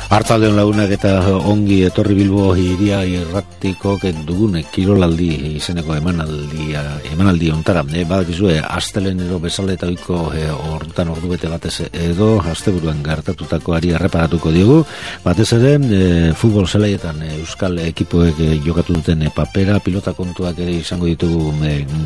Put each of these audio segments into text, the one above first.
Artzaldeon lagunak eta ongi etorri Bilbo hiria irratiko dugun kirolaldi izeneko emanaldi ontara. Badakizue, astelenero bezala eta oiko hortan ordu bete batez edo asteburuan gertatutakoari erreparatuko diogu. Batez ere, futbol zelaietan euskal ekipoek jokatu duten papera, pilota kontuak ere izango ditugu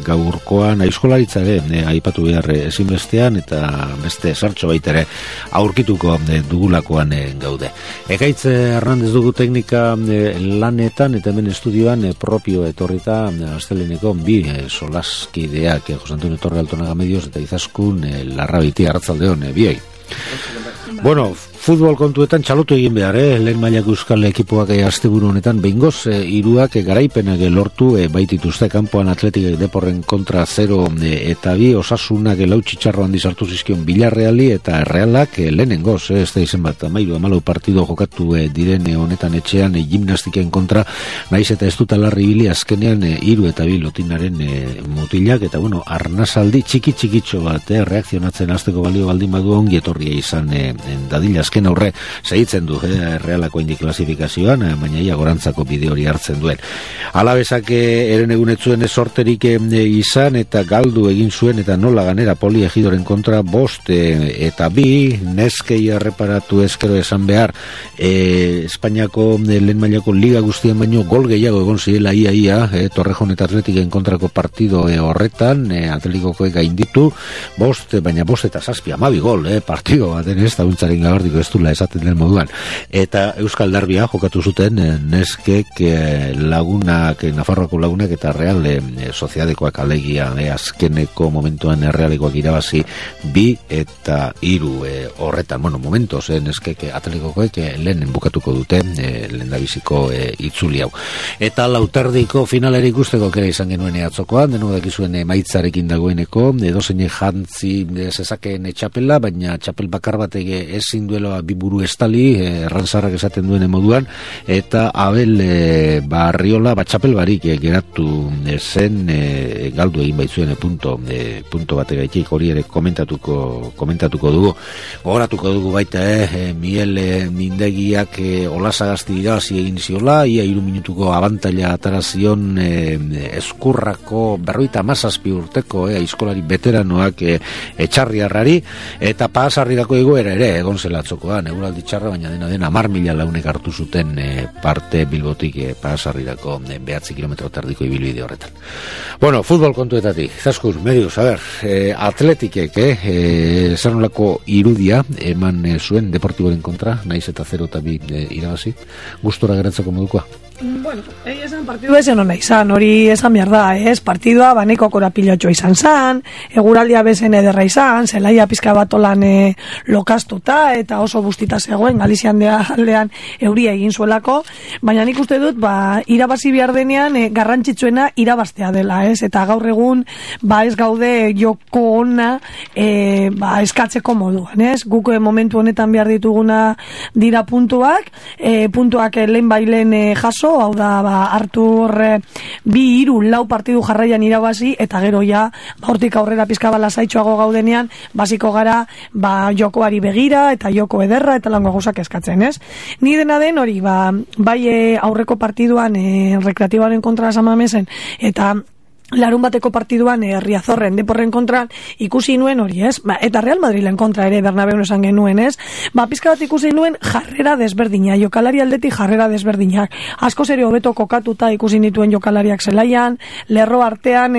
gaurkoan, aizkolaritza ere aipatu behar ezinbestean eta beste sartxo baitere aurkituko dugulakoan gaude. Ekaitz Hernandez dugu teknika lanetan eta hemen estudioan propio etorrita asteleneko bi solaskideak Jose Antonio Torre Altonaga Medios eta Izaskun Larrabiti. Arratsaldeon biei. Bueno, futbol kontuetan txalotu egin behar, lehen mailako euskal ekipoak asteburu honetan behingoz hiruak garaipenak lortu baitituzte kanpoan Atletik Deporren kontra 0 eta 2 Osasunak lau txitxarro handi sartu zizkion Villarreali eta Realak lehenengoz, ez da izen bat 13 partido jokatu diren honetan etxean gimnastiken kontra, naiz eta ez dut alarri bili azkenean 3 eta 2 lotinaren mutilak eta bueno, arnazaldi txikitxo bat reakzionatzen hasteko balio baldin badu ongi etorria izan dadila azken aurre segitzen du Realako indi klasifikazioan, baina ia gorantzako bide hori hartzen duen. Alabesak eren egunetzuen sorterik izan eta galdu egin zuen eta nola ganera Poli Ejidoren kontra 5 eta 2 neskei erreparatu ezkero esan behar Espainiako lehen mailako liga guztien baino gol gehiago egon zirela ia Torrejon eta Atletiken kontrako partido horretan Atletikokoek gainditu 5, baina 5 eta 7 12 gol partido baten ez da untzaren gabardiko ez dula esaten den moduan. Eta Euskal Darbia jokatu zuten neskek lagunak, Nafarroako lagunak eta Real Sociedadekoak alegia azkeneko momentuan Realekoak irabazi 2 eta 3 horretan. Bueno, momentos neskek Atletikokoek lehen bukatuko dute lehendabiziko itzuli hau. Eta lauterdiko finalera ikusteko kera izan genuen atzokoan, denok dakizuen maitzarekin dagoeneko, edozein jantzi zezakeen txapela, baina txapel bakar batek ezin duela biburu estali, errantzarrak esaten duen moduan, eta Abel Barriola txapel barik geratu zen galdu egin baitzuen punto bategaitik, hori ere komentatuko dugu. Gogoratuko dugu baita Miel Mindegiak Olasagazti irabazi egin ziola, ia 3 minutuko abantaila atarazion Eskurrako 57 urteko aizkolari veteranoak etxarriarrari, eta Pasarrirako egoera ere egon zela atzokoan, eguraldi txarra, baina dena 10.000 launek hartu zuten parte Bilbotik Pasarrirako 9 kilometro tardiko ibilbide horretan. Bueno, futbol kontuetatik, Zaskur, Medios, a ver, Atletikek zer nolako irudia eman zuen Deportiboren kontra, naiz eta 0 eta 2 irabazi, gustora geratzeko modukoa? Bueno, esan partidu ezen hona izan, hori esan behar da, partidua baneko korapilotxo izan zan, eguraldia bezen ederra izan, zelaia pizka bat olan lokastuta, eta oso bustita zegoen, Galizian aldean euria egin zuelako, baina nik uste dut, irabazi behar denean, garrantzitsuena irabaztea dela, eta gaur egun, ez gaude joko ona, eskatzeko moduan, guk momentu honetan behar dituguna dira puntuak lehen bailen jaso, hau da, hartu horre 2-3 partidu jarraian irabazi, eta gero ja, hortik aurrera pizka lasaitxoago gaudenean, basiko gara, jokoari begira, eta joko ederra, eta lango gauzak eskatzen, ez? Ni dena den hori, bai aurreko partiduan, rekreatiboaren kontra Samamezen, eta larun bateko partiduan Riazorren Deporren kontra ikusi nuen hori, ez? Eta Real Madrilen kontra ere Bernabeun esan genuen, ez? Pizka bat ikusi nuen jarrera desberdina, jokalari aldetik jarrera desberdinak. Askoz ere hobeto kokatuta ikusi nituen jokalariak zelaian, lerro artean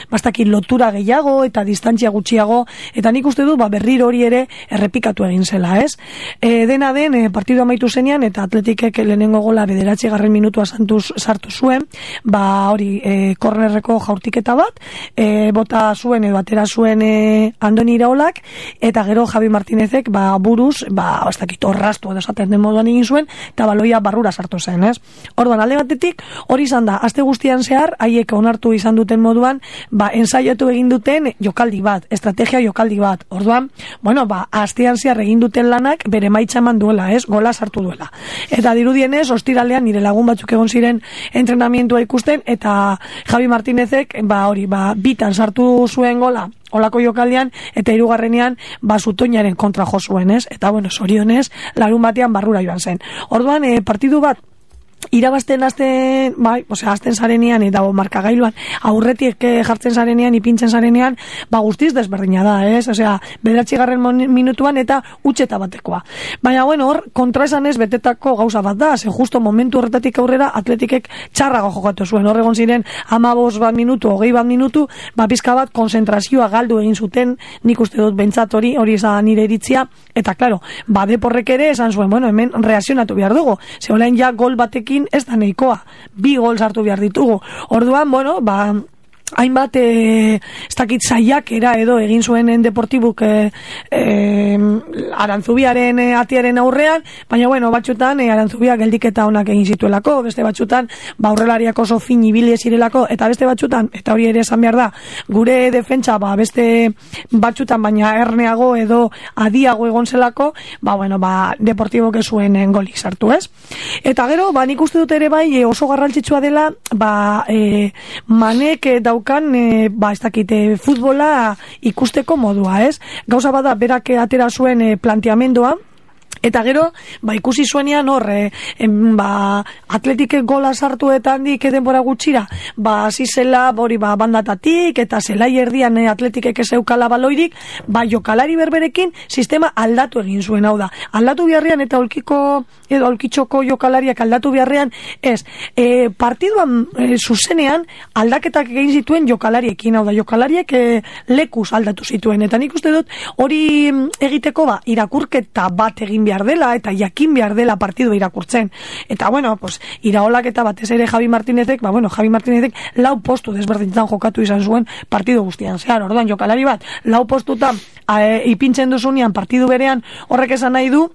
bastaki lotura gehiago eta distantzia gutxiago, eta nik uste du berriro hori ere errepikatu egin zela, ez? Dena den partidu amaitu zenean eta Atletikek lehenengo gola 9. minutua sartu zuen, hori kornerreko jaurtiketa bat, bota zuen edo atera zuen Andoni Iraolak, eta gero Javi Martinezek buruz, ez dakit orrastu edo esaten den moduan egin zuen, eta baloia barrura sartu zen, ez? Orduan, alde batetik, hori izan da, aste guztian zehar, haiek onartu izan duten moduan, ensaiatu egin duten jokaldi bat, estrategia jokaldi bat. Orduan, astean zehar egin duten lanak bere maitza eman duela, ez? Gola sartu duela. Eta dirudienez, ostiralean nire lagun batzuk egon ziren entrenamientua ikusten, eta Javi Martinezek Martinezek, bitan sartu zuen gola, olako jokaldian, eta hirugarrenean, Zutoinaren kontra jo zuen, ez? Eta, zorionez, larun batean barrura joan zen. Orduan, partidu bat, irabazten azten zarenean eta markagailuan aurretik jartzen zarenean, ipintzen zarenean, guztiz desberdina da, ez? Osea, 9. minutuan eta utxeta batekoa. Baina, hor, kontraesan ez betetako gauza bat da, ze justo momentu horretatik aurrera atletikek txarrago jokatu zuen. Hor egon ziren 15 minutu, 20 minutu, pizka bat konzentrazioa galdu egin zuten, nik uste dut bentsat hori izan nire iritzia, eta, klaro, Deporrek ere esan zuen, hemen reakzionatu behar dugu, ze olain ja gol batekin ez da nahikoa, 2 gol sartu behar ditugu. Orduan, hainbat ez dakit saiakera edo egin zuenen Deportibuk Arantzubiaren atiaren aurrean, baina batzutan Arantzubiak geldiketa onak egin zituelako, beste batzutan aurrelariak oso fin ibili zirelako, eta beste batzutan, eta hori ere esan behar da, gure defentsa beste batzutan baina erneago edo adiago egon zelako, Deportibok ez zuen golik sartu, ez? Eta gero, nik uste dut ere bai oso garrantzitsua dela, Manek daukan ez dakite futbola ikusteko modua, ez? Gauza bada berak atera zuen planteamendua, eta gero, ikusi zuenean hor, Atletik gola sartu eta handik denbora gutxira, hasi zela bandatatik, eta zelai erdian Atletikek ez eukala baloirik, jokalari berberekin sistema aldatu egin zuen, hau da. Aldatu biharrean eta olkitxoko jokalariak aldatu biharrean, ez, partiduan zuzenean aldaketak egin zituen jokalariekin, hau da, jokalariek lekuz aldatu zituen, eta nik uste dut hori egiteko irakurketa bat egin behar dela, eta jakin behar dela partidu irakurtzen. Eta, iraolak eta batez ere Javi Martinezek, Javi Martinezek 4 postu desberdintzen jokatu izan zuen partidu guztian. Zehar, orduan, jokalari bat, 4 postuta ipintzen duzunean partidu berean horrek esan nahi du,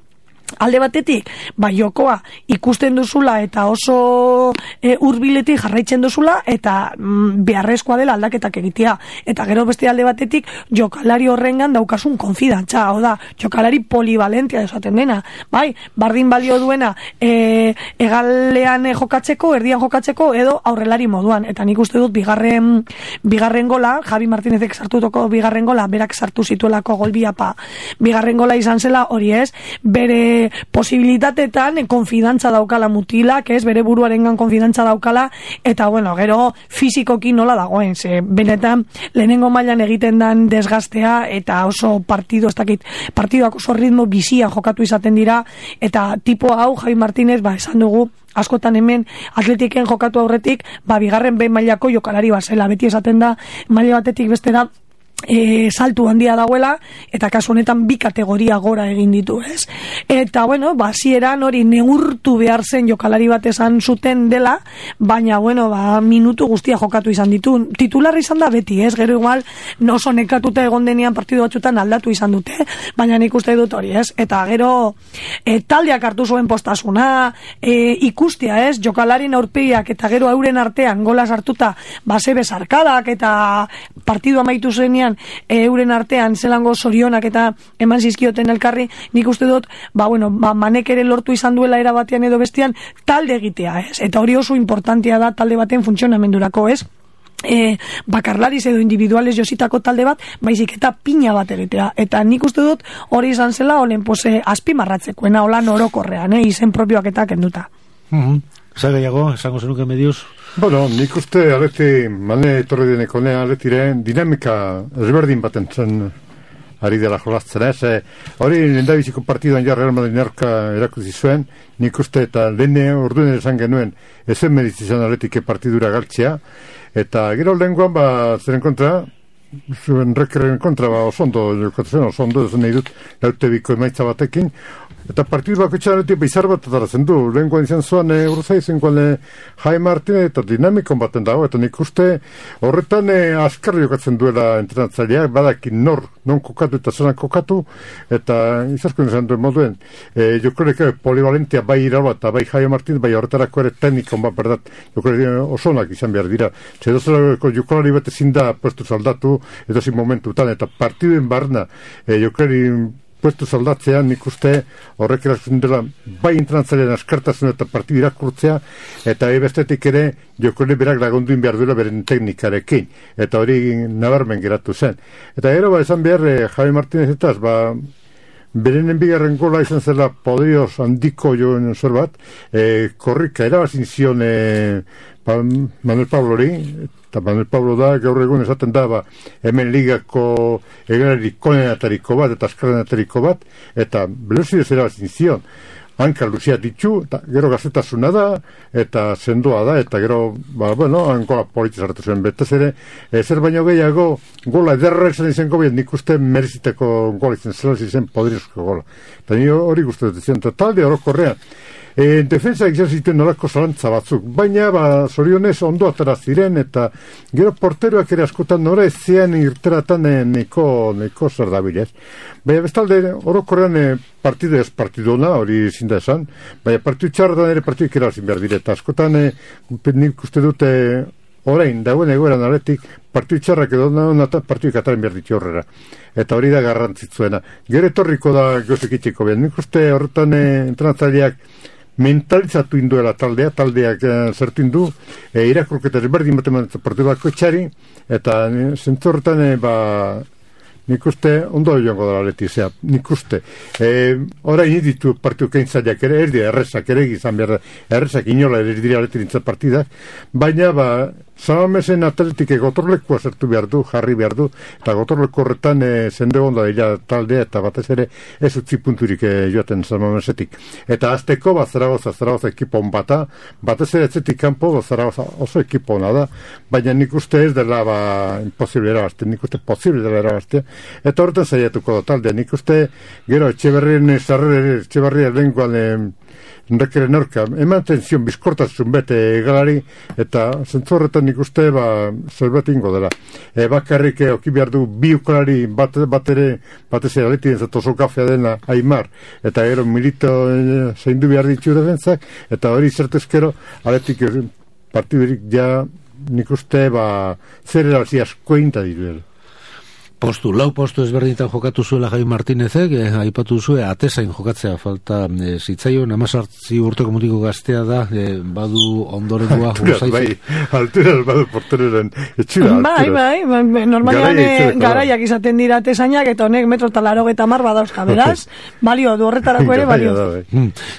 alde batetik, jokoa ikusten duzula eta oso hurbiletik jarraitzen duzula eta beharrezkoa dela aldaketak egitea. Eta gero beste alde batetik, jokalari horrengan daukasun konfidantza, hau da, jokalari polivalentia esaten dena, bardin balio duena egalean jokatzeko, erdian jokatzeko edo aurrelari moduan. Eta nik uste dut bigarren gola, Javi Martinezek sartutoko bigarren gola, berak sartu zituelako golbiapa, bigarren gola izan zela hori, ez, bere posibilitatetan konfidantza daukala mutilak, ez, bere buruarengan konfidantza daukala, eta gero fizikoki nola dagoen, ze benetan lehenengo mailan egiten dan desgastea eta oso partiduak oso ritmo bizia jokatu izaten dira, eta tipo hau Javi Martinez, esan dugu askotan hemen Atletiken jokatu aurretik, bigarren behin mailako jokalari bazela, beti esaten da maila batetik bestera saltu handia dagoela, eta kasu honetan 2 kategoria gora egin ditu, ez? Eta, hasieran hori neurtu behar zen jokalari bat esan zuten dela, baina, minutu guztia jokatu izan ditu. Titularra izan da beti, ez? Gero igual, oso nekatuta egon denean partidu batzutan aldatu izan dute, baina nik uste dut hori, ez? Eta gero, taldeak hartu zuen postasuna, ikustea, ez? Jokalarien aurpegiak eta gero euren artean gola sartuta, zebe sarkadak eta partidu amaitu zenean euren artean zelango zorionak eta eman zizkioten elkarri, nik uste dut, Manek ere lortu izan duela era batean edo bestean talde egitea, ez? Eta hori oso importantea da talde baten funtzionamendurako, ez? Bakarlariz edo individuales jositako talde bat, baizik eta pina bat egitea. Eta nik uste dut hori izan zela olen azpimarratzekoena, holan orokorrean, izen propioak eta kenduta. Zagaiago, esango zenuke mediuz? Nik uste Mane etorri deneko Atletiren dinamika ezberdin baten zen ari dela jolaztzen, ez? Hori lehendabiziko partiduan Real Madrid aurka erakutsi zuen, nik uste eta lehene orduen esan genuen ezen medizizan Atletike partidura galtzea, eta gero lehenkoan zeren kontra, zuen Rekerren kontra oso ondo ezen nahi dut lautebiko emaitza batekin, eta partidu bako txanetik bizar bat atarazen du. Lehenkoan izan zuan urza izenkoan Jaime Martinez eta dinamikon baten dago, eta nik uste horretan azkarri jokatzen duela entrenatzaileak, badakin non kokatu eta zelan kokatu, eta izazkoen izan duen moduen. Jokorek polivalentia bai iraba eta bai Jaime Martinez, bai horretarako ere teknikon bat, berdat, jokorek osonak izan behar dira. Zedozerako jokolari bat ezin da puestu zaldatu, edozin momentutan, eta partiduen barna jokorek puestu zaldatzean, nik uste horrek erakusten dela bai entrenatzaileren askartasun eta partidu irakurtzea, eta bestetik ere jokore berak lagunduin behar duela beren teknikarekin, eta hori nabarmen geratu zen. Eta gero, esan behar, Javi Martínez etaz, berenen bigarren gola izan zela poderioz handiko joen zer bat, korrika erabazin zion Manuel Pablori, eta Manuel Pablo da, gaur egun esaten da, hemen ligako egalari konenatariko bat, eta askarenatariko bat, eta velozidez erabazin zion. Hanka luzia ditu, eta gero gazetasuna da, eta sendoa da, eta gero, hankola politiz hartu zuen, betez ere, zer baino gehiago, gola ederra izan izango behar, nik uste mereziteko gola izan zela izan poderizko gola. Eta ni hori guztetan zian, eta talde orokorrean, defensa izan zituen nolako zalantza batzuk, baina zorionez ondo atara ziren, eta gero porteroak ere askotan nora ez zian irteratan neko zer dabilez. Baina bestalde orokorrean partidu ez partiduna, hori ezin da esan, baina partidu txarretan ere partidu ikeralzin behar direta. Askotan nik uste dute orain, dagoen egoeran aletik, partidu txarrak edo eta partidu ikataren behar ditu horrera. Eta hori da garrantzitzuena. Gero etorriko da gozek itxiko behar. Nik uste horretan entrenatzaileak mentalizatu induela taldeak zertu indu, irakurketa berdin batean partidu bako etxari, eta zentzorretan nik uste ondo joango dara letizea, nik uste. Orain ditu partidu keintzaileak ere, errezak ere gizan behar, errezak inola ere dira letirintzat partidak, baina Samamesen atletik gotorlekua zertu behar du, jarri behar du, eta gotorleku horretan zende onda dira taldea, eta batez ere ez utzi punturik joaten Samamesetik. Eta azteko, Zaragoza ekipon bata, batez ere etzetik kanpo, Zaragoza oso ekipona da, baina nik uste ez dela imposible erabazte, nik uste posible dela erabazte, eta horretan zaiatuko da taldea, nik uste gero Etxeberria lenguan Rekeren aurka, eman tenzion bizkortasun bete galari, eta zentzorretan nik uste zerbait ingo dela. Bakarrik oki behar du bi ukalari batez ere aletien zato oso gafea dena Aimar, eta gero Milito zaindu behar ditu defentzak, eta hori zertezkero aletik partidurik ja nik uste zer erazi asko inta diruela. Lau postu ezberdinetan jokatu zuela Javi Martínezek, aipatu zuen atezain jokatzea falta zitzaion, 18 urteko mutiko gaztea da, badu ondorengoa alturaz badu porteroren etxura. Bai, normalean garaiak izaten dira atezainak, eta honek metro eta 80 badauzka, beraz, balio du horretarako ere balio.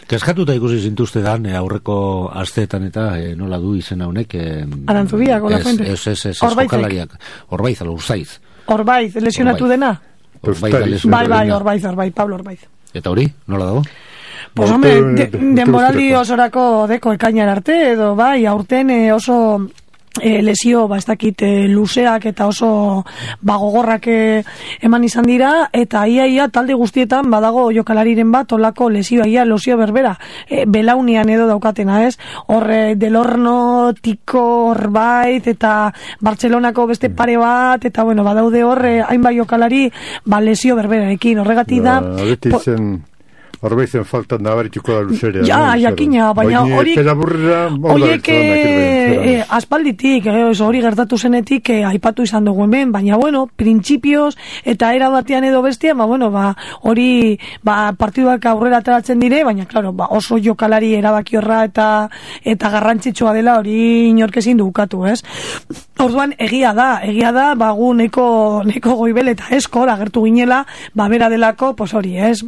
Keskatuta ikusi zintuzte dan, aurreko asteetan eta nola du izena honek. Arantzubiak, Ola Fuente. Ez, jokalariak, Orbaiz, Urzaiz. Orbaiz, lesionatu dena? Bai, Orbaiz, Pablo Orbaiz. Eta hori, nola dago? Pues hombre, denboraldi osorako deko ekainan arte, edo bai, aurten oso lesio, ez dakit, luzeak eta oso gogorrak eman izan dira, eta ia talde guztietan badago jokalariren bat olako lesioa, losio berbera, belaunian edo daukatena, ez? Horre, Delorno, Tiko, Orbaiz, eta Bartzelonako beste pare bat, eta bueno, badaude horre, hainbat jokalari, lesio berberarekin, horregatik da... Orbaizen faltan nabarituko da luzerea. Jakina, baina horiek aspalditik, hori gertatu zenetik aipatu izan dugu hemen, baina bueno, printzipioz eta era batean edo bestean, hori partiduak aurrera ateratzen dire, baina claro, oso jokalari erabakiorra eta garrantzitsua dela hori inork ezin du ukatu, ez? Orduan egia da, gu neko goibel eta eskor agertu ginela, bera delako, pues hori, ez?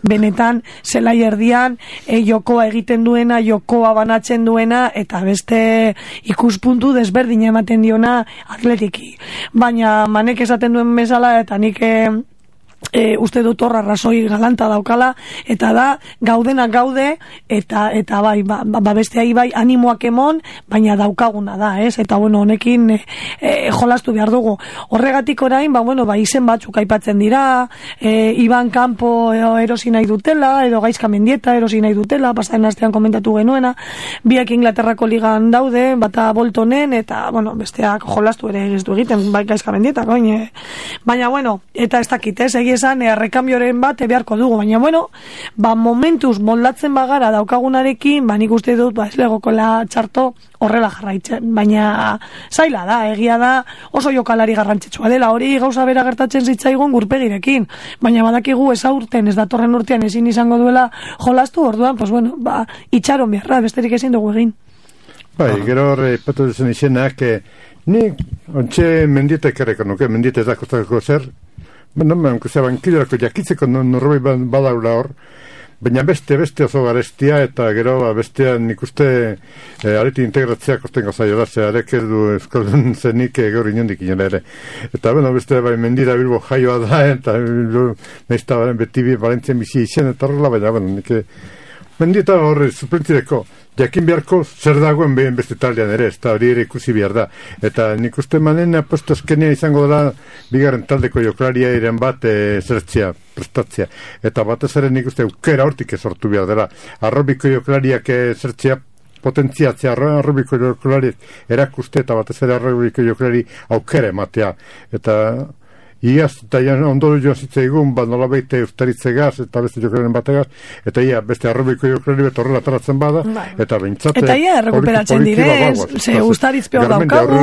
Benetan zelai erdian jokoa egiten duena, jokoa banatzen duena, eta beste ikuspuntu desberdina ematen diona atletiki. Baina manek esaten duen bezala, eta nik uste dut horra razoi galanta daukala, eta da gaudenak gaude, eta bai, besteai bai animoak emon, baina daukaguna da, ez? Eta bueno, honekin jolastu behar dugu. Horregatik orain, izen batzuk aipatzen dira, Iban Campo erosi nahi dutela, edo Gaizka Mendieta erosi nahi dutela, pasaren astean komentatu genuena, biak Inglaterrako ligan daude, bata Boltonen, eta besteak jolastu ere ez du egiten, bai Gaizka Mendieta, baina bueno, eta ez dakit, ez? esan errekambioren bat beharko dugu, baina bueno, momentuz moldatzen bagara daukagunarekin, nik uste dut, ez legokola txarto horrela jarraitzen, baina zaila da, egia da oso jokalari garrantzitsua dela, hori gauza bera gertatzen zitzaigun Gurpegirekin, baina badakigu ez aurten, ez datorren urtean ezin izango duela jolastu, orduan, pues bueno, itxaron beharra, besterik ezin dugu egin. Gero horre, patu duzen izenak, ni ontxe Mendietek erreko nuke, Mendiete ez dakostako zer, bankilorako jakitzeko norbait badaula hor, baina beste oso garestia, eta gero bestean nik uste areti integratzea kosten gozaio da, arek ez du euskaldun zenik gaur inondik inola ere. Eta beste Mendira Bilbo jaioa da, eta nahizta beti Valentzien bizi izan, eta horrela, baina nik Mendieta horre suplentzireko jakin beharko zer dagoen behin beste taldean ere, ez da hori ere ikusi behar da. Eta nik uste manen aposto azkenea izango da bigarren taldeko joklaria iren bat zertzea, prestatzea. Eta batez ere nik uste aukera hortik sortu behar dela. Arrobiko joklariak zertzea potentziatzea, arrobiko joklariak erakuste eta batez ere arrobiko joklari aukera ematea. Eta iaz, eta ondoro joan zitzaigun, nola baite ustaritzegaz, eta beste jokalaren bategaz, eta beste arrobiko jokalari bet horrela taratzen bada, eta bintzate... Eta rekuperatzen direz, ze ustaritz peor daukagu.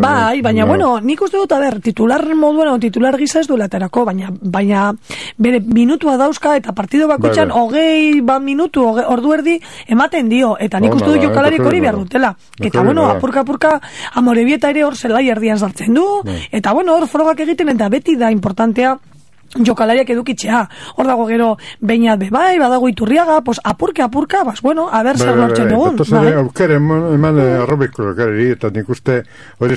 Baina, bueno, nik uste dut, titular moduan, titular gisa ez du laterako, baina bere minutua dauzka, eta partido bakutxan, hogei minutu, ordu erdi, ematen dio, eta nik uste dut jokalarik hori behar dutela. Eta, bueno, apurka, Amorebieta ere hor zelai erdian sartzen du, eta, bueno, hor frogak egiten eta beti da importantea jokalariak edukitzea. Hor dago gero Beñat bebai, badago Iturriaga, pues apurka, bueno, a ber zer lortzen dugun. Aukera eman arrobiko jokalari, eta nik uste hori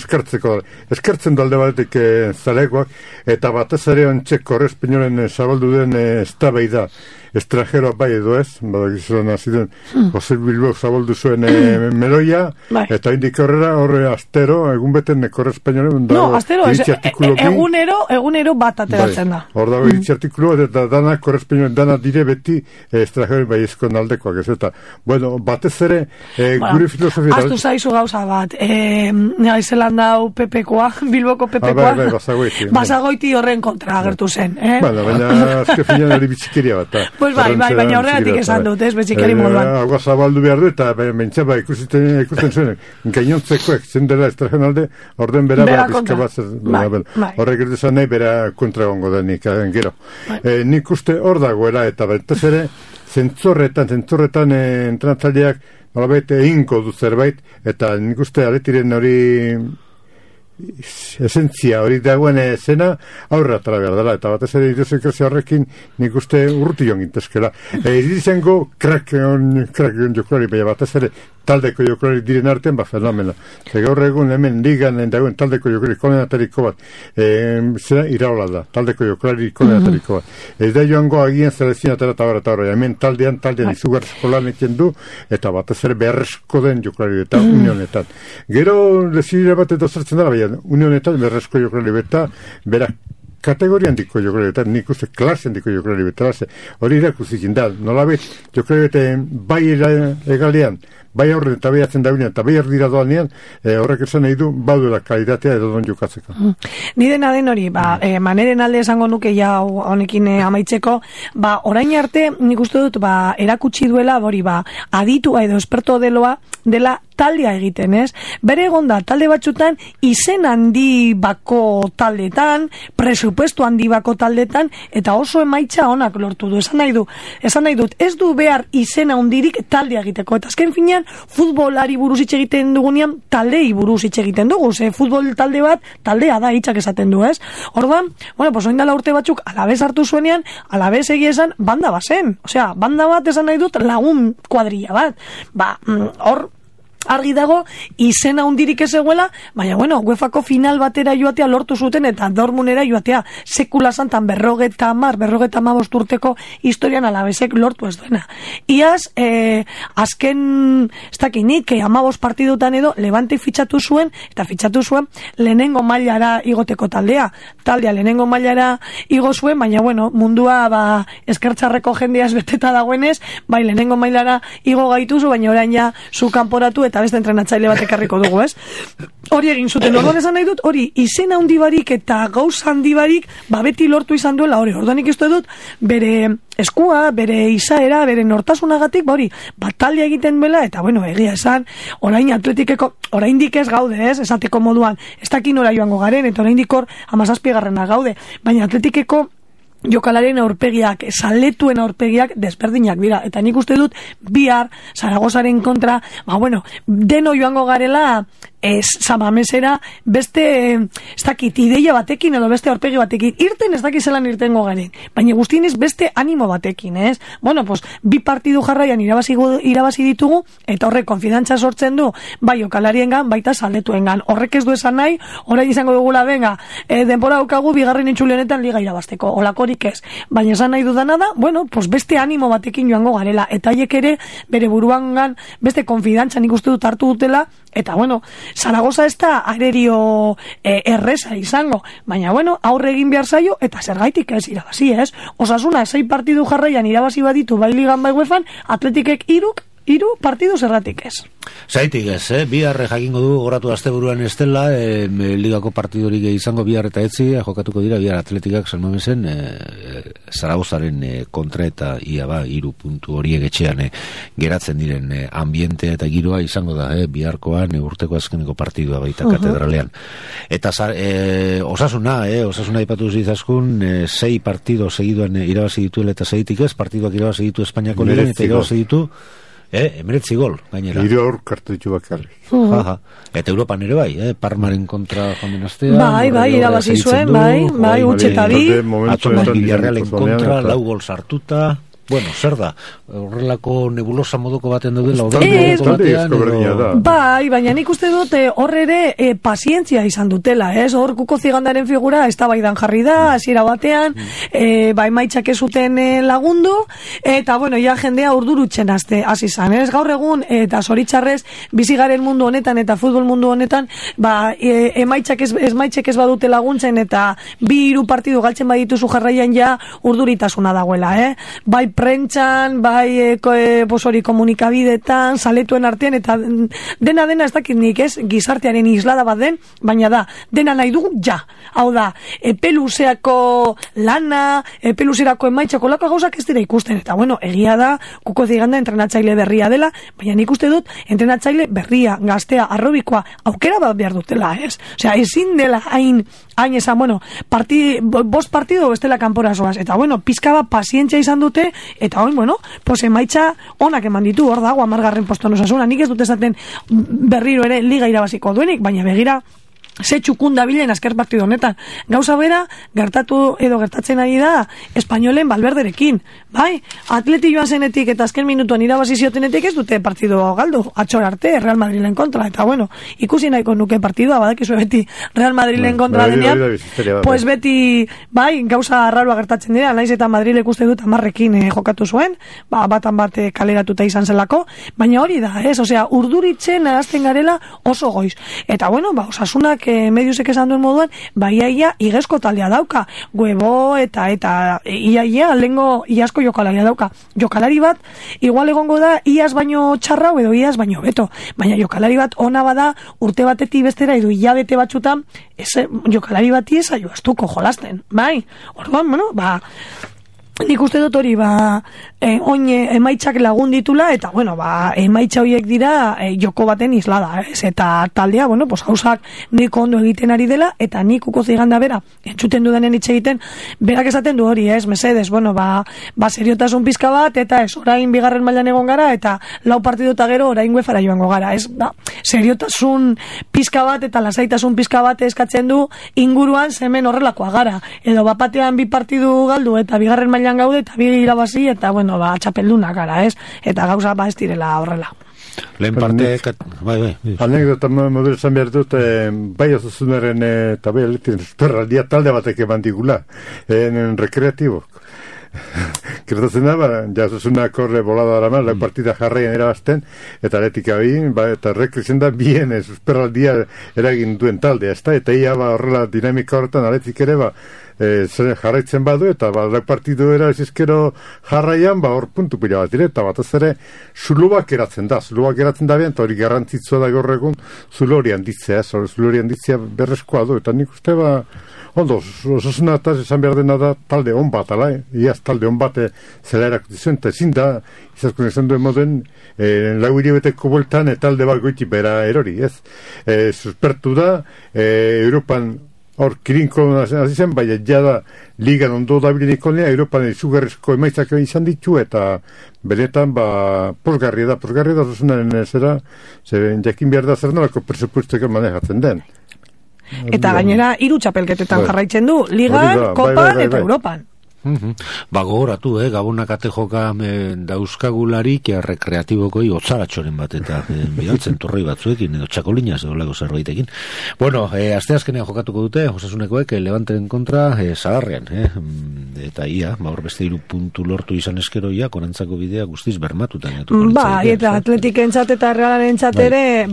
eskertzen dalde batetik zalegoak, eta batez ere ontxe korrespeñoren zabaldu den eztabaida estranjeroa bai edo ez, badakizuen aziden Jose Bilbao zabaldu zuen meloia, eta indik horre astero, egun beten korrespeñoren astero, egunero bat ateratzen da. Hor dago iritsi artikulu, eta dana korrespeñoren dana dire beti estranjeroen bai ezkon aldekoak ez, eta bueno, batez ere gure filosofia... Aztu zaizu gauza bat, Zelan dau Pepekoa, Bilboko Pepekoa, Basagoiti horren kontra agertu zen. Baina azke finan hori bitxikeria bat, pues baina horregatik esan dut, betxikeri moduan. Agua zabaldu behar du, eta mentzaba ikusten zuen, gainontzekoek, zen dela estrajen alde, orden bera pizka bat, horrek erdezan nahi bera kontra gongo denik, gero. Nik uste hor dagoela, eta betez ere, zentzorretan entrenatzaileak, nolabait eginko du zerbait, eta nik uste aretiren hori esentzia hori dagoen zena aurra atara behar dela, eta batez ere iruzo ikertzea horrekin nik uste urruti joan gintezkela. Irizango krak joklari, baina batez ere taldeko joklari diren artean, fenomena. Gaur egun hemen ligan dagoen taldeko joklari konenatariko bat, zera iraola da, taldeko joklari konenatariko bat. Ez da joango agian zelezin atara eta horra, hemen taldean izugarrizko lanekin du, eta batez ere beharrezko den joklari eta unionetan. Gero lezidira bat edo zertzen dara, unionetan beharrezko joklari beta, berak kategoria handiko jokalari beta, nik uste klase handiko jokalari beta, hori irakuzik da, nolabet jokalari beta bai egalean, bai aurren eta bai atzen daunean, eta bai erdira doanean, horrek esan nahi du, baduela kalitatea edo don jokatzeko. Ni dena den hori, maneren alde esango nuke ja honekin amaitzeko, orain arte nik uste dut, erakutsi duela, hori, aditua edo esperto dela taldea egiten, ez? Bere egon da, talde batzutan, izen handi bako taldetan, presupuesto handi bako taldetan, eta oso emaitza onak lortu du. Esan nahi dut, ez du behar izena handirik taldea egiteko. Eta azken finean, futbolari buruz hitz egiten dugunean, taldei buruz hitz egiten dugu. Ze futbol talde bat, taldea da, hitzak esaten du, ez? Orduan, oindala urte batzuk, alabez hartu zuenean, alabez egia esan, banda bazen. Osea, banda bat esan nahi dut, lagun kuadrilla bat. Hor, argi dago, izena hundirik ez eguela, baina, UEFako final batera joatea lortu zuten, eta Dortmundera joatea sekula santan 55 urteko historian alabezek lortu ez duena. Iaz, azken, ez dakinik, 15 partidutan edo, Levante fitxatu zuen, eta fitxatu zuen lehenengo mailara igoteko taldea lehenengo mailara igo zuen, baina, mundua, eskertxarreko jendeaz beteta dagoenez, bai, lehenengo mailara igo gaituzu, baina orain ja, zu kanporatu eta beste entrenatzaile bat ekarriko dugu, ez? Hori egin zuten, orduan esan nahi dut, hori izen handi barik eta gauza handi barik, beti lortu izan duela hori. Orduan ikusten dut, bere eskua, bere izaera, bere nortasunagatik, hori, batalia egiten bela, eta bueno, egia esan, orain atletikeko, oraindik ez gaude, ez? Esateko moduan, ez dakin ora joango garen, eta oraindik hor 17. gaude, baina atletikeko jokalarien aurpegiak, saletuen aurpegiak desberdinak dira, eta nik uste dut bihar Zaragozaren kontra, deno joango garela Samamesera beste ez dakit ideia batekin edo beste aurpegi batekin, irten ez dakit zelan irtengo garen, baina guztienez beste animo batekin, ez? Bi partidu jarraian irabazi ditugu, eta horrek konfidantza sortzen du, bai jokalariengan, baita saletuengan. Horrek ez du esan nahi, orain izango dugula, denbora daukagu bigarren itzuli honetan liga irabazteko, olakorik ez. Baina esan nahi dudana da, beste animo batekin joango garela, eta haiek ere bere buruangan beste konfidantza nik uste dut hartu dutela, eta Zaragoza ez da arerio erresa izango, baina aurre egin behar zaio, eta zergaitik ez irabazi, ez? Osasuna 6 partidu jarraian irabazi baditu bai ligan bai uefan, Atletikek 3 partidu zergatik ez. Zaitik ez, bihar jakingo du goratu asteburuan ez dela, ligako partidorik izango bihar eta etzi, jokatuko dira bihar Atletikak San Mamesen Zaragozaren kontra eta ia 3 puntu horiek etxean geratzen diren ambiente eta giroa izango da, biharkoan urteko azkeneko partidua baita katedralean. Eta Osasuna ipatu zizaskun 6 partido segiduan irabazi dituela eta zaitik ez, partiduak irabazi ditu Espainiako ligan eta irabazi ditu 19 gol, gainera. 3 aur kartutxu bakarrik. Eta Europan ere bai, Parmaren kontra joan den astean. Bai, irabazi zuen, bai, utxeta bi. Atzo Villarrealen kontra, 4 gol sartuta. Zer da? Horrelako nebulosa moduko baten daudela bai, baina nik uste dut hor ere pazientzia izan dutela, ez? Hor Kuko Zigandaren figura eztabaidan jarri da, hasiera batean, emaitzak ez zuten lagundu, eta ja jendea urdurutzen hasi izan, ez? Gaur egun, eta zoritxarrez, bizigaren mundu honetan eta futbol mundu honetan, emaitzak ez badute laguntzen, eta 2-3 partidu galtzen badituzu jarraian ja urduritasuna dagoela, bai prentxan, bai komunikabidetan, saletuen artean, eta dena ez dakit nik, ez? Gizartearen islada bat den, baina da, dena nahi dugu, ja. Hau da, epeluzeako lana, epeluzerako emaitzako lako gauzak ez dira ikusten, eta egia da, Kuko Ziganda entrenatzaile berria dela, baina nik uste dut, entrenatzaile berria, gaztea, arrobikoa, aukera bat behar dutela, ez? Osea, ezin dela hain esan, bost partido bestela kanpora zoaz, eta pizka bat pazientzia izan dute, eta emaitza onak eman ditu, hor dago 10. postuan Osasuna, nik ez dut esaten berriro ere liga irabaziko duenik, baina begira ze txukun dabilen azker partido honetan. Gauza bera, gertatzen ari da Espainolen Valverderekin, bai? Atleti joan zenetik eta azken minutuan irabazi ziotenetik ez dute partido galdu, atxor arte, Real Madrilen kontra, eta ikusi nahiko nuke partidua, badakizu beti Real Madrilen kontra denean, pues beti, bai, gauza arraroa gertatzen dira, naiz eta Madrilek uste dut 10ekin jokatu zuen, batan bat kaleratuta izan zelako, baina hori da, ez? Osea, urduritzen arazten garela oso goiz. Eta Osasunak mediusek esan duen moduan, iaia igezko taldea dauka, Huevo eta iaia lengo iasko jokalaria dauka. Jokalari bat, igual egongo da iaz baino txarra edo iaz baino beto, baina jokalari bat ona bada urte batetik bestera edo hilabete batzutan, jokalari bati ez aioaztuko jolasten, bai? Orduan, nik uste dut hori, oin emaitzak lagun ditula, eta, emaitza horiek dira joko baten islada, ez? Eta taldea, hausak nik ondo egiten ari dela, eta nik Kuko Ziganda bera, entzuten dudanen hitz egiten, berak esaten du hori, ez? Mesedes, seriotasun pizka bat, eta ez, orain bigarren mailan egon gara, eta 4 partidota gero orain uefara joango gara, ez? Seriotasun pizka bat, eta lasaitasun pizka bat eskatzen du inguruan zemen horrelakoa gara, edo bapatean 2 partidu galdu, eta bigarren mailan gaude eta 2 irabazi eta txapeldunak gara, ez? Eta gauza ez direla horrela. Lehen parte... Bai. Anekdota modelo esan behar dut, bai Osasunaren eta bai Atletin perraldia talde batek eman digula, rekreatibok. Gertatzen da, Osasuna korre bolada dara la partida jarraian erabazten, eta Atletika eta rekrezen da bien susperraldia eragin duen taldea, eta ia horrela dinamika horretan Atletik ere zer jarraitzen badu, eta partidu era ezkero jarraian, hor puntu pila bat dire, eta batez ere zulubak eratzen da bien, eta hori garrantzitsua da gaur egun zulo hori handitzea, zulo hori handitzea berrezkoa du, eta nik uste ondo, osasuna eta esan behar dena da talde hon bat, iaz talde hon bat zela erakutizuen, eta ezin da, izazkun esan duen moden, lau hilabeteko bueltan talde bat goiti bera erori, ez? Suspertu da, Europan hor kirinko hasi zen, baina jada ligan ondo dabilen ikonea, Europan izugarrizko emaitzak izan ditu, eta benetan, posgarria da osasunaren zera, jakin behar da zer nolako presupuesteko manejatzen den. Eta gainera 3 txapelketetan jarraitzen du, Ligan, Kopan eta Europan. Gogoratu, Gabonak ate joka dauzkagularik rekreatibokoi otzaratxoren bat eta bidaltzen torroi batzuekin edo txakolinaz edo lago zerbaitekin. Bueno, asteazkenean jokatuko dute Osasunekoek Levanteren kontra Sagarrean, eta ia, hor beste 3 puntu lortu izan eskeroia, korantzako bidea guztiz bermatutan. Eta Atletikentzat eta Realarentzat ere,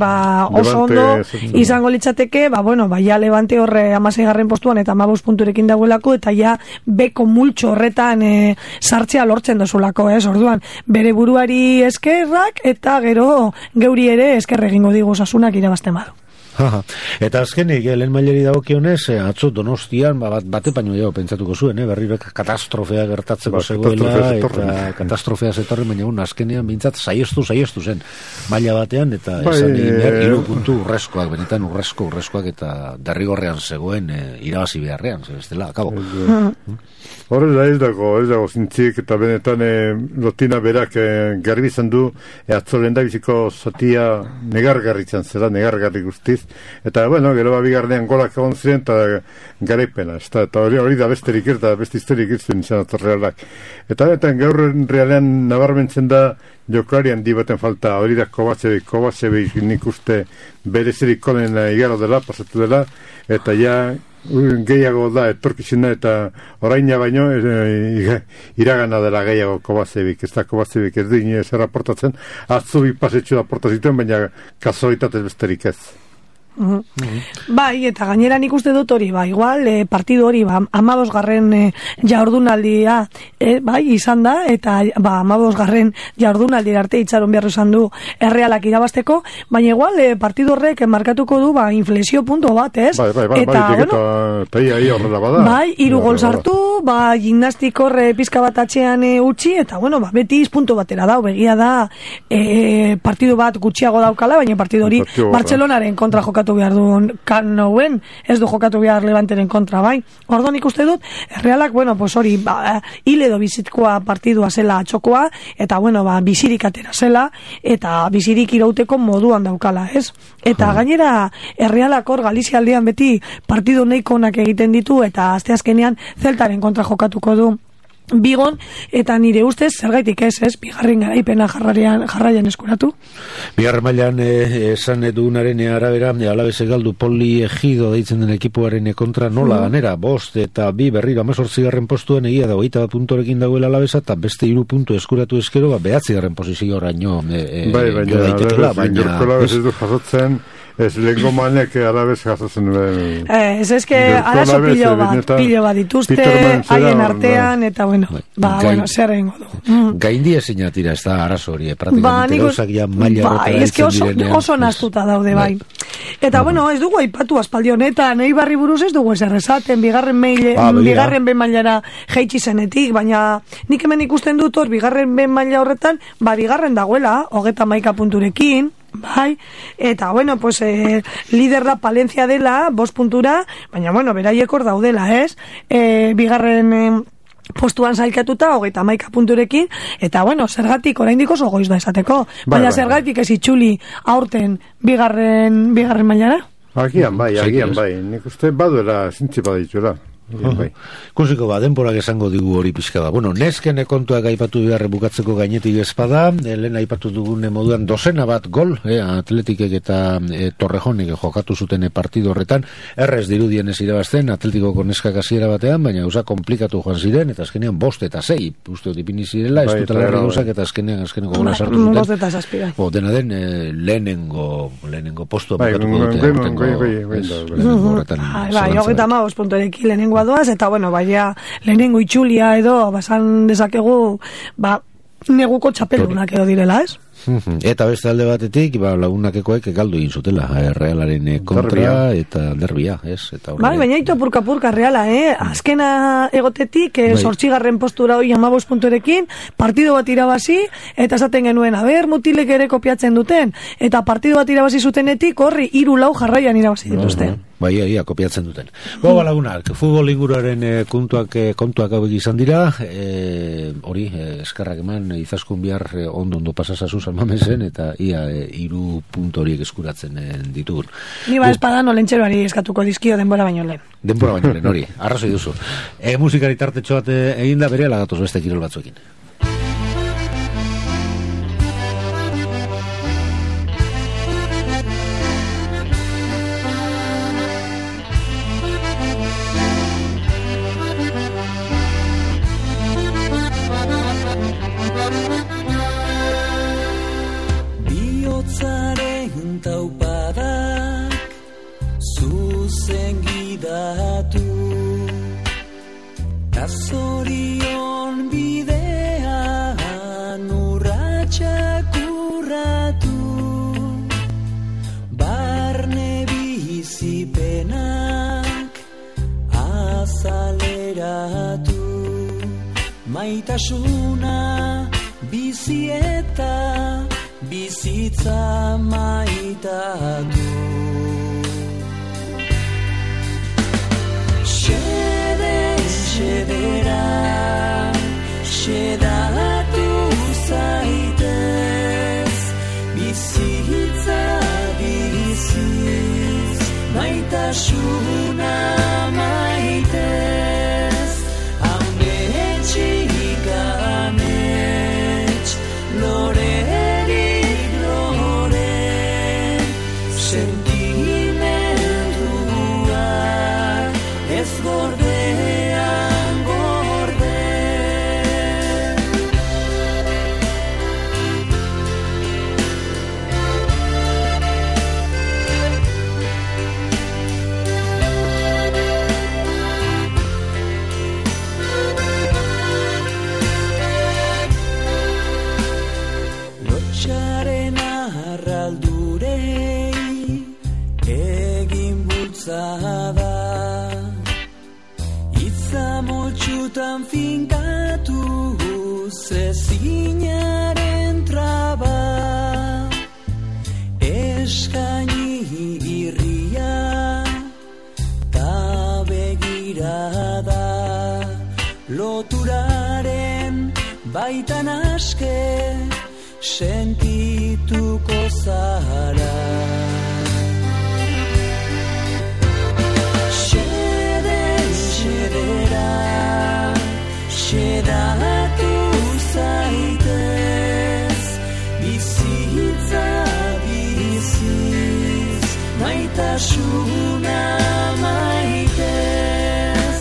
oso ondo izango litzateke, ja Levante horre 16. postuan eta 15 punturekin dagoelako, eta ja beko multxo horretan sartzea lortzen dozulako, orduan, bere buruari eskerrak, eta gero geuri ere esker egingo digu Osasunak irabazten badu. Eta azkenik, lehen mailari dagokionez, atzo Donostian, bate paino jau pentsatuko zuen, berriro katastrofea gertatzeko zegoela, eta katastrofea zetorren, baina azkenean bintzat saiestu zen maila batean, eta esan egin behar 3 puntu urrezkoak, benetan urrezkoak, eta derrigorrean zegoen irabazi beharrean, bestela, akabo. Horrela ez dago zintzik, eta benetan lotina berak garbi izan du, atzo lehen da biziko zatia negargarritzen zela, negargarri guztiz, eta gero bigarrenean golak egon ziren, eta garaipena, eta hori da besterik da beste historik izan izan Realak. Eta gaur Realean nabarmentzen da jokalari handi baten falta, hori da Kovacevic nik uste berezirik konen igaro dela, pasatu dela, eta ja gehiago da etorkizuna, eta oraina baino iragana dela gehiago Kovacevic, ez da Kovacevic ez du inoiz erraportatzen, atzubi pasetxu da porta zituen, baina kasualitatez besterik ez. Bai, eta gainera nik uste dut hori, igual partidu hori 15. Jardunaldia izan da, eta 15. Jardunaldira arte itxaron behar izan du Realak irabazteko, baina igual partidu horrek markatuko du inflexio punto bat, ez? Eta horrela bada. Bai, 3 gol sartu, gimnastik horre pizka bat atxean utzi, eta beti puntu batera dau, begia da partidu bat gutxiago daukala, baina partidu hori Bartzelonaren kontra jokatu behar duen Kanouen, ez du jokatu behar Levanteren kontra, bai. Orduan ikuste dut, Realak, hori, hile edo bizitkoa partidua zela atxokoa, eta, bizirik atera zela, eta bizirik irauteko moduan daukala, ez? Eta gainera, Realak hor Galizia aldean beti partidu nahiko onak egiten ditu, eta asteazkenean Zeltaren kontra jokatuko du Bigon, eta nire ustez, zergaitik ez, bigarren garaipena jarraian eskuratu. Bigarren mailan esan dugunaren arabera, Alabese galdu Poli Ejido deitzen den ekipuaren kontra nola ganera, 5 eta 2 berriro 18. postuan egia da 21 puntorekin dagoela Alabesa, eta beste 3 puntu eskuratu eskero, 9. posizio oraino baina ez du jasotzen, ez lehenko manek Alabes jasotzen duen. Ez arazo pilo bat dituzte, haien artean, eta zer egingo du. Gaindi ezin atira, ez da arazo hori, praktikamente gauzak ja maila horretara ditzen direnean. Oso naztuta daude, bai. Eta, ez dugu aipatu aspaldi honetan, Eibarri buruz ez dugu ezer esaten, bigarren ben mailara jaitsi zenetik, baina nik hemen ikusten dut hor, bigarren ben maila horretan, bigarren dagoela, 31 punturekin, bai, eta lider da Palencia dela 5 puntura, baina beraiek hor daudela, ez? Bigarren postuan zailkatuta 31 punturekin, eta zergatik oraindik oso goiz da esateko, baina zergatik ez itxuli aurten bigarren mailara? Agian bai, nik uste baduela zintzi badituela. Ikusiko denborak esango digu hori pixka da. Nesken kontuak aipatu beharre bukatzeko gainetik espada, lehen aipatu dugune moduan 2 bat gol, Atletikek eta Torrejonek jokatu zuten partido horretan, errez dirudien ez irabazten, Atletikoko neskak hasiera batean, baina gauza komplikatu joan ziren, eta azkenean 5 eta 6, uste dipini zirela, ez dutela herri gauzak, eta azkeneko gola sartu zuten. 5 eta 6. Dena den, lehenengo postua bukatuko dute. Bai, 35 punturekin lehenengo badoaz, eta bueno, baina lehenengo itxulia edo, basan dezakegu, neguko txapelunak edo direla, ez? Eta beste alde batetik, lagunakekoek galdu egin zutela, Realaren kontra eta derbia, ez? Baina ito purka-purka Reala, azkena egotetik, 8. postura hoi 15 punturekin, partido bat irabazi, eta esaten genuen, mutilek ere kopiatzen duten, eta partido bat irabazi zutenetik, horri 3-4 jarraian irabazi dituzte. Ia, kopiatzen duten. Lagunak, futbol inguruaren kontuak hauek izan dira, hori, eskerrak eman, izaskun bihar ondo pasasazu salmamesen, eta ia 3 puntu horiek eskuratzen ditugun. Ni espadan olentxeroari eskatuko dizkio denbora baino lehen. Denbora baino lehen, hori, arrazoi duzu. Musikari tartetxo bat eginda bere alagatoz beste kirol batzuekin. Zorion bidean urratxak urratu, barne bizipenak azaleratu, maitasuna bizi eta bizitza maitatu. Xedera, xedatu zaitez, bizitza biziz, maitasuna maitez, ametxik amets, lorerik lore, sentimenduak ez gorde. Itza finkatu zezinaren traba, eskaini irria ta begirada, loturaren baitan aske sentituko zara. Xedatu zaitez, bizitza biziz, maitasuna maitez,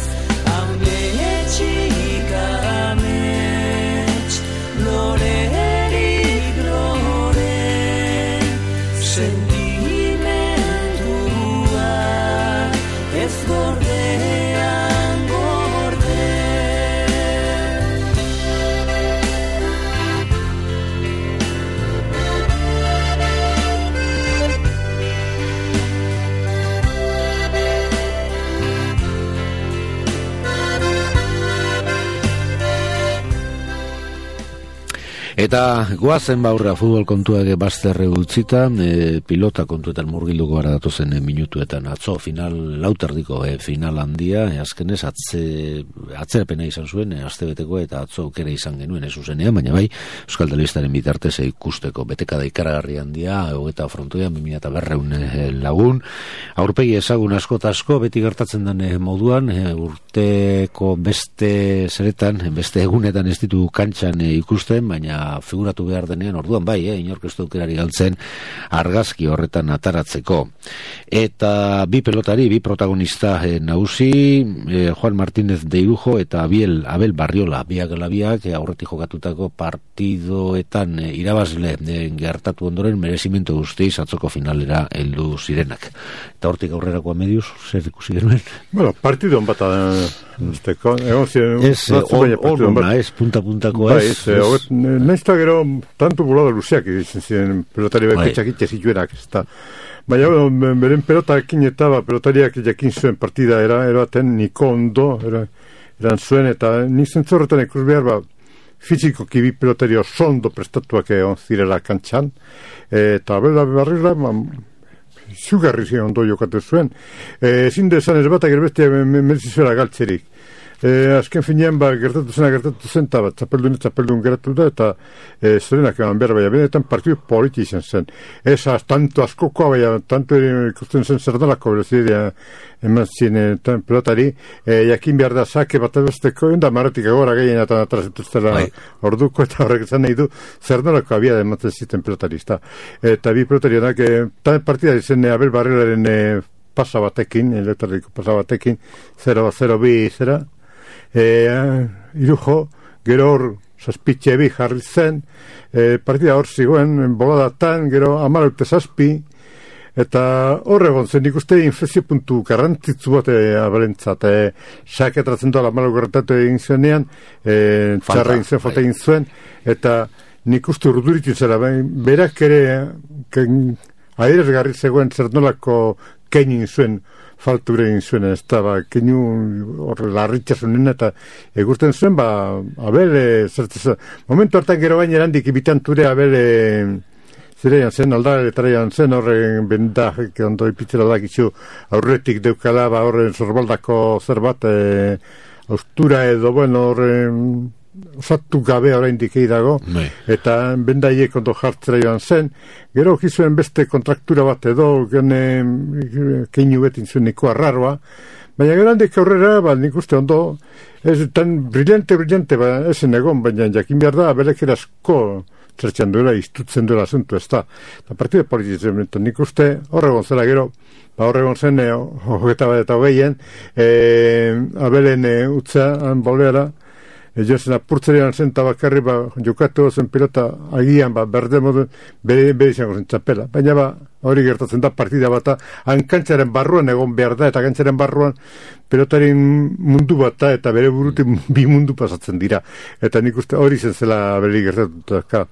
ametxik amets, lorerik lore, sentimendua ez gordean gorde. Eta goazen baurra futbol kontuak bazterre utzita, pilota kontuetan murgilduko gara datozen minutuetan. Atzo final lauterdiko final handia, azkenez atzerapena izan zuen, astebeteko eta atzo aukera izan genuen zuzenean, baina bai, Euskal Telebistaren bitartez ikusteko betekada ikaragarri handia, eta frontoian 200 lagun, aurpegi ezagun asko eta asko, beti gertatzen den moduan, urteko beste zeretan, beste egunetan ez ditu kantxan ikusten, baina figuratu behar denean, orduan bai, inork ez aukerari galtzen argazki horretan ataratzeko. Eta bi pelotari, bi protagonista nagusi, Juan Martínez de Irujo eta Abel Barriola, biak aurretik jokatutako partidoetan irabazle gertatu ondoren merezimento guztiz atzoko finalera heldu zirenak. Eta hortik aurrerakoa mediuz, zer ikusi genuen? Bueno, partidon bat azteko. Ona, ez punta-puntakoa ez. Naizta gero, tanto bulado luzeak izan ziren pelotari beketxak itxezituenak, ez da. Baina, beren pelotakin eta pelotariak jakin zuen partida eraten niko ondo, eran zuen, eta nik zentzorretan ikus behar, fiziko kibi pelotari oso ondo prestatuak egon zirela kantxan, eta Abel Barriola, zugarri ziren ondo jokatu zuen. Ezin dezan ez batak erbestia merzizuela galtzerik. Azken finean gertatu zen, eta txapeldun geratu da, eta zorenak eman behar, baina benetan partidu politi izan zen. Ez tanto askokoa, baina tanto ikusten zen zer dalako berezidea eman ziren pelotari, jakin behar da sake bat ebesteko, enda marretik agora gehien eta atrazituztela orduko, eta horrek zan nahi du zer dalako abia da ematen ziten pelotarista. Eta bi pelotarionak, partida izan Abel Barriolaren pasa batekin, elektriko pasa batekin, 0-0-2 Irujo, gero hor zazpitxe bi jarri zen, partida hor zigoen, boladatan, gero 17-7, eta horregon zen ikuste inflexio puntu garrantzitsu bat abelentzat, saketratzen doa 14 gertatu egin zuenean, txarra egin zuen, falta egin zuen, eta nik uste urduritzen zera, berak ere adierazgarri zegoen zer nolako keinin zuen, falture egin zuen, ez da, keinu larritxasunen eta egurten zuen, Abel, momentu hartan gero baina erandik ibitanture Abel zirean zen, aldaretarian zen, horren bendak, ondo ipitzela dakizu, aurretik deukala, horren zorbaldako zer bat, austura edo, bueno, horren osatu gabe oraindik dago, eta bendaiek ondo jartzera joan zen, gero okizuen beste kontraktura bat edo, keinu betin zuen niko arraroa, baina gero handik aurrera, nik uste ondo, ez tan brillante, esen egon, baina jakin behar da, belek erasko zertxan duela, iztutzen duela asuntu, ez da. Eta partide polititzen, nik uste horregon zela gero, horregon zen, hogeta bat eta hogeien, Abelen utza, boleara, jozen apurtzerean zen tabakarri jokatu zen pilota agian berde modu bere izango zen txapela. Baina hori gertatzen da partida bata hankantzaren barruan egon behar da eta kantzaren barruan pilotaren mundu bata eta bere burutik bi mundu pasatzen dira. Eta nik uste hori zen zela bere gertatuta.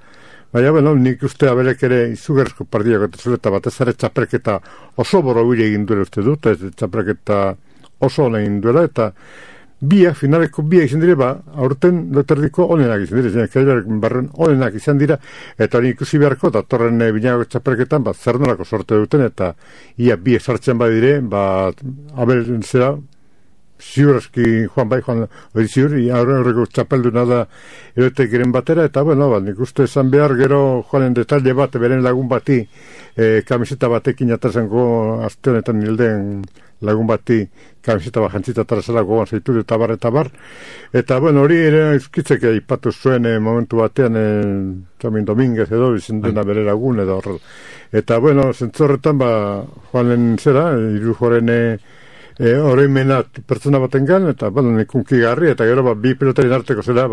Baina, bueno, nik uste Abelek ere izugarrizko partida gertatzen eta batez ere txapelketa oso borobile egin duela uste dut, txapelketa oso hona egin duela eta finaleko biak izan dire, aurten loterdiko onenak izan dire, kailaren barren onenak izan dira, eta hori ikusi beharko, eta torren binago txapelketan, zer nolako sorte duten, eta ia biak sartzen badire, Abel zera, ziurazki Juan hori ziur, aurreko txapelduna da erotek giren batera, eta bueno, nik uste esan behar gero Juanen detalle bat, beren lagun bati, kamiseta batekin atrazango aste honetan hilden lagun bati kamiseta bat jantzita atrazalako goan zaitu eta bar, eta bueno, hori ere euskitzek aipatu zuen momentu batean Tomin Dominguez edo, izan dena bere lagun edo horrela. Eta bueno, zentzorretan Juanen zera, Irujoren oroimena pertsona batengan, eta bueno, nik unkigarri, eta gero bi pelotaren arteko zera,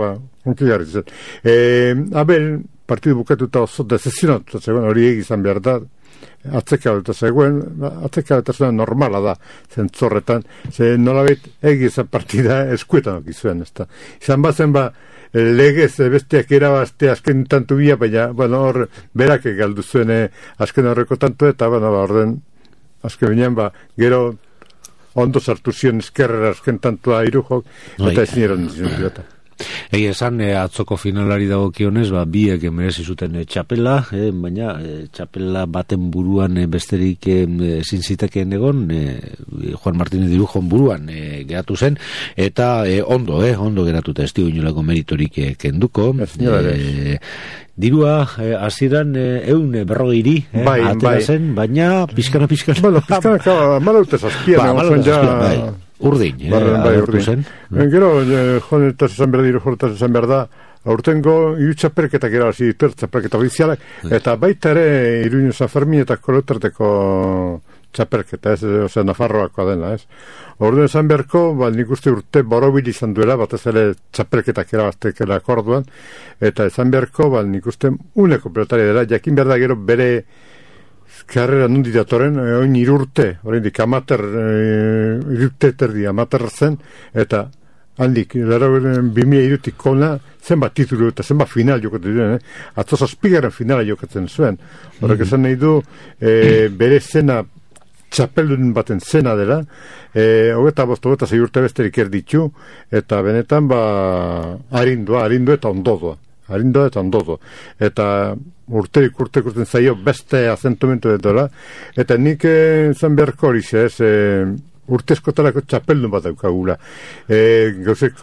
unkigarri zen. Abel, partidu bukatuta oso dezesionatu, hori egizan behar da, atzekabeta zegoen, atzekabeta normala da zentzorretan, nolabait egizan partida eskuetan okizuen, ez da. Izan bazen legez besteak erabazte azken tantu bia, baina, bueno, hor berak galdu zuen azken horreko tantu, eta, bueno, orden, azken binean, gero ondo sartu zion eskerrera azken tantua Irujok, eta ezin eran zion pilota. Egia esan, atzoko finalari dagokionez, biek merezi zuten txapela, baina txapela baten buruan besterik ezin zitekeen egon, Juan Martínez de Irujon buruan geratu zen, eta ondo geratuta ez dio inolako meritorik kenduko. Dirua, hasieran 140 atera zen, baina pizkana. Bueno, pizkana, malaute zazpian, Urdin, Bai, agertu urdin. zen. Gero, jonetaz esan behar dira, jonetaz esan behar da, aurtengo hiru txapelketak irabazi ditu, txapelketa ofizialak, eta baita ere Iruño San Fermin eta Kolotarteko txapelketa, osea, Nafarroakoa dena, ez? Orduan esan beharko, nik uste urte borobil izan duela, batez ere txapelketak irabaztekela akorduan, eta esan beharko, nik uste uneko pelotari dela, jakin behar da gero bere karrera nundi datoren, oin irurte, oraindik amater, irurte terdi amater zen, eta handik, 2002tik kona, zenbat titulu eta zenbat final jokatzen duen, atzo zazpigaren finala jokatzen zuen. Horrek esan nahi du, bere zena, txapeldun baten zena dela, hogeta sei urte besterik erditu, eta benetan, arindua eta ondodoa. Arindua eta ondodoa. Eta urterik urten zaio beste azentumentu dela, eta nik zan beharko hori ez, urtezkotarako txapeldun bat daukagula. Gauzek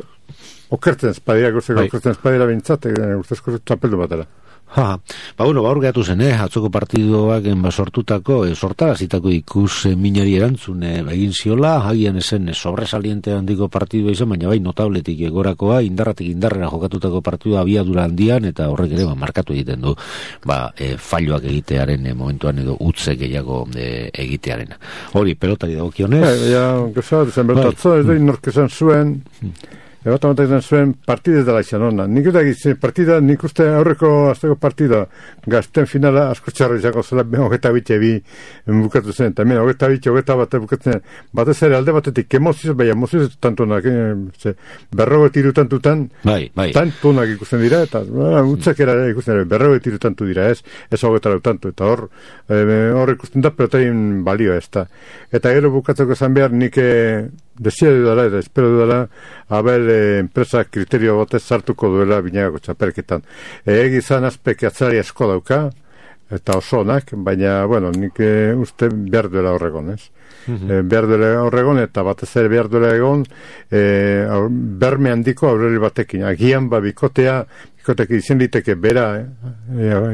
okertzen espadira bintzat, urtezko txapeldun bat dela. Gaur gehatu zen, atzoko partidoak sortutako, sortarazitako ikus minari erantzun egin ziola, hagian esen sobresaliente handiko partidua izan, baina bai notabletik egorakoa, indarratik indarrera jokatutako partidua abiadura handian, eta horrek ere markatu egiten du, falloak egitearen momentuan edo utze gehiago egitearen. Hori, pelotari dagokionez? Gauza, dezen bertatzo, ez da inorkezan zuen, Ebat izan zuen partidez dela izan hona. Nik uste aurreko azteko partida gazten finala asko txarra izango zela 22 bukatu zen. Eta mena, 22 bukatzen zen. Batez ere alde batetik emozioz, emozioz tantunak, berroget iru tantutan, tantunak ikusten dira, eta utzak era ikusten dira, berroget iru tantu dira, ez 23 tantu, eta hor ikusten da, pelotain balio ez da. Eta gero bukatzeko zan behar, nik desio dudala, eta espero dudala, abel enpresa kriterio batez sartuko duela binagako txapelketan. Egizan azpek atzari asko dauka, eta oso onak, baina, nik uste behar duela horregon, ez? Behar duela horregon, eta batez ere behar duela egon, berme handiko aurreli batekin. Agian bikotea, bikotek izan liteke bera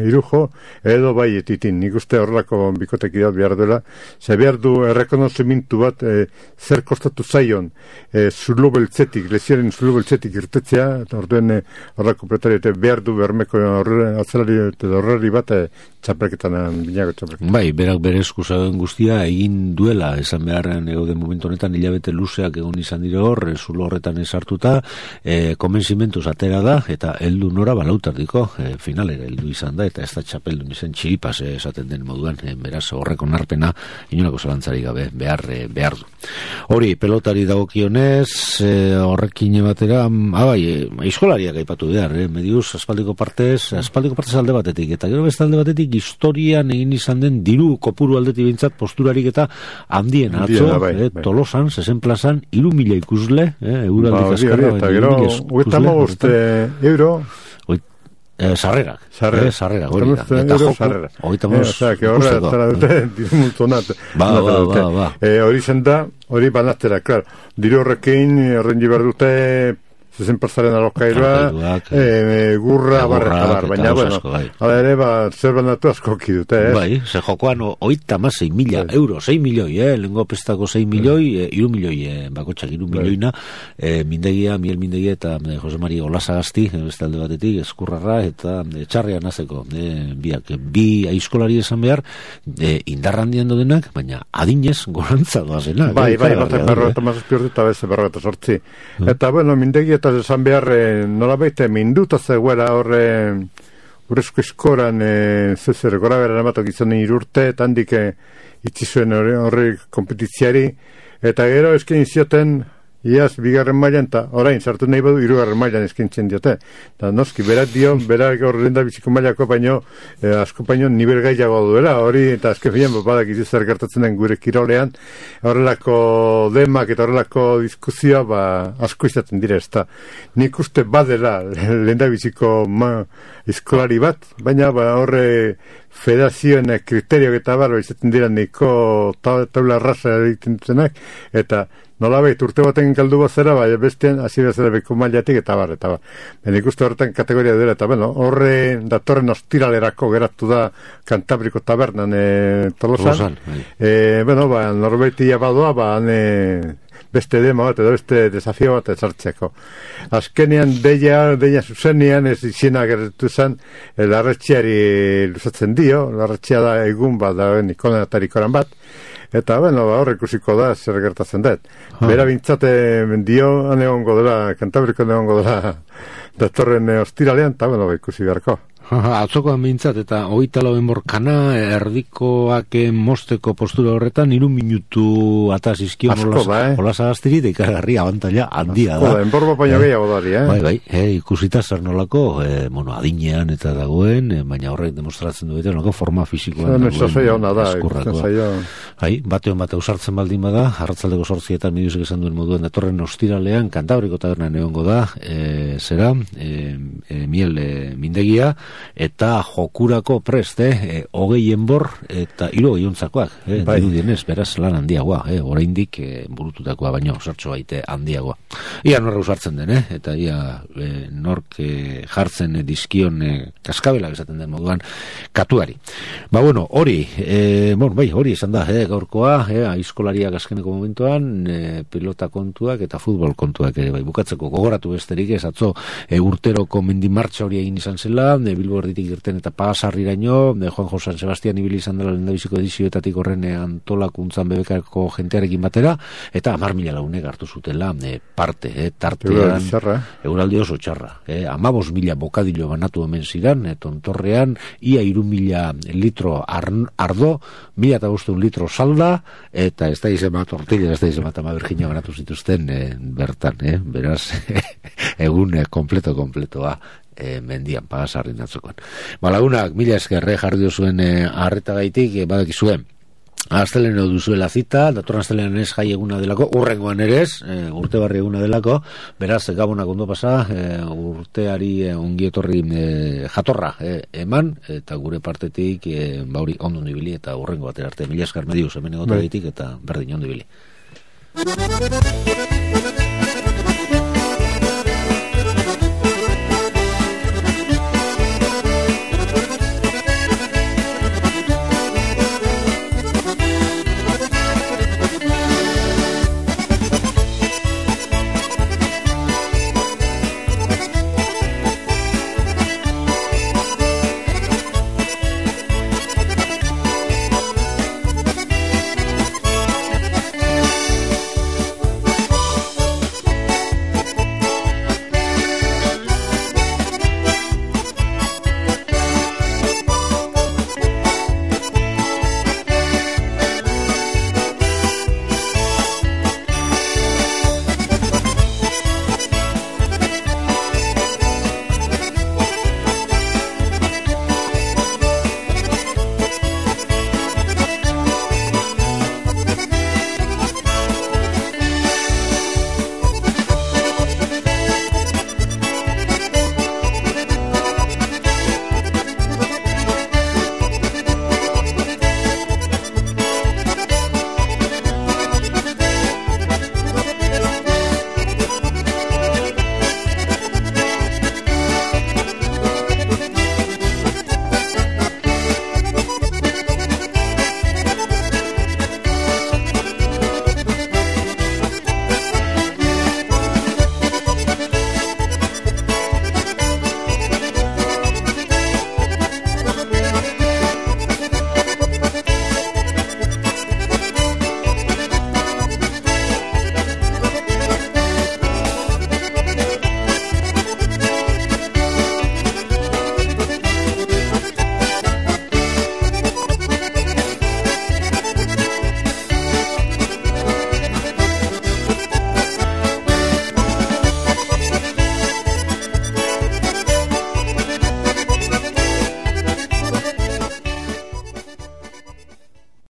irujo, edo bai etitin. Nik uste horrelako bikotek idat behar duela, ze behar du errekonozimintu bat zer kostatu zaion zulo beltzetik, lesioaren zulo beltzetik irtetzea, eta orduen horrelako pretario behar du bermeko horreli bat txapelketan, binako txapelketan. Bai, berak bere eskusauen guztia egin duela, esan beharren egoden momentu honetan hilabete luzeak egon izan dire hor, zulo horretan esartuta, konbentzimentuz atera da, eta heldu nora balautardiko finalera heldu izan da, eta ez da txapeldun izan txiripaz esaten den moduan, beraz horreko narpena inolako zalantzari gabe behar du. Hori, pelotari dagokionez, horrekin batera, aizkolariak aipatu behar, mediuz, aspaldiko partez alde batetik, eta gero beste alde batetik historian egin izan den diru kopuru aldetik bintzat posturarik eta handien atzo, Tolosan, 60 plazan, 3.000 ikusle, euraldik azkarra, eta gero, 85 euro, sarrerak, hori da. Eta joko, hogeita moz, hori zen da, hori banatera, klar, diru horrekin, horren jibar dute, 60% alokairoa, gurra, baina, ala ere, zer bandatu asko kidute, Bai, ze jokoan, 36.000 euro, 6 milioi, lengo pestako 6 milioi, 3 milioi, bakotxak 3 milioina, miel mindegia eta Jose Mari Olasagasti, beste alde batetik, eskurrarra, eta txarrean nazeko, bi aizkolari esan behar, indarrandian dodenak, baina adinez gorantza doazenak. Bai, batak berrogeta mazazpiortu eta beze berrogeta sortzi. Eta, mindegia eta esan behar nola baita minduta zegoela horre urrezko eskoran zezer gora beran amatok izan irurte eta handik itzi zuen horre kompetitziari eta gero eskin zioten iaz bigarren mailan eta orain sartu nahi badu 3. mailan eskintzen diote eta noski berak horren da biziko mailako baino asko baino nivel gaiago duela hori eta azken finean badak izi zer gertatzen den gure kirolean horrelako demak eta horrelako diskuzioa asko izaten dire ez da nik uste badela lehen da biziko eskolari bat baina horre federazioen kriterioak eta izaten dira niko taula raza egiten dutenak eta nolabait urte baten galdu bazera, bestean hasi bezala beko mailatik eta bar. Benik uste horretan kategoria dela, eta horre datorren ostiralerako geratu da Kantabriko tabernan Tolosan. Norbaitia badoa, beste demo bat edo beste desafio bat ezartzeko. Azkenean deia zuzenean ez izena gertu zen larretxeari luzatzen dio, larretxea da egun bat dauen ikonatarikoran bat, eta hor ikusiko da zer gertatzen dut. Bera bintzate dio egongo dela, Kantabriko egongo dela datorren ostiralean, eta ikusi beharko. Atzokoan bintzat, eta 24 enborkana, erdikoak mosteko postura horretan, 3 minutu atazizkion hola zagaztiri, da ikargarri abantalla handia da. Enborbo baino gehiago dari, Bai, ikusita zer nolako, adinean eta dagoen, baina horrek demostratzen duetan, nolako forma fisikoan dagoen batean bate usartzen baldin bada, arratzaldeko 8 miduzek esan duen moduan, datorren ostiralean, Kantabriko tabernan egongo da, miel mindegia, eta jokurako prest, 20 enbor eta 3 ontzakoak, dirudienez, beraz lan handiagoa, oraindik burututakoa baino, sartxo baite handiagoa. Ia norra usartzen den, eta ia nork jartzen dizkion kaskabela esaten den moduan katuari. Hori, hori esan da, gaurkoa, aizkolariak azkeneko momentuan, pilota kontuak eta futbol kontuak, bukatzeko gogoratu besterik ez, atzo urteroko mendimartxa hori egin izan zela, Bilbo erditik irten eta Pasarriraino, Juan Josan Sebastian ibili izan dela lehendabiziko edizioetatik horren antolakuntzan bebekako jentearekin batera, eta 10.000 lagunek hartu zutela parte, tartean euraldi oso txarra. 15.000 bokadilo banatu hemen zidan, tontorrean, ia 3.000 litro ardo, 1.500 litro salda, eta ez da izan bat tortilla, ez da izan bat ama Virginia banatu zituzten bertan, beraz, egun kompletoa mendian Pasarrin atzokoan. Lagunak, mila eskerre jarri duzuen arretagaitik, badakizuen asteleno duzuela zita, datorren astelenan ez jai eguna delako, urrengoan ere ez, urte barri eguna delako, beraz, gabonak ondo pasa, urteari ongietorri jatorra eman, eta gure partetik bauri ondo ibili, eta urrengo batera arte, mila esker mediuz, hemen egotagaitik, eta berdin ondo ibili.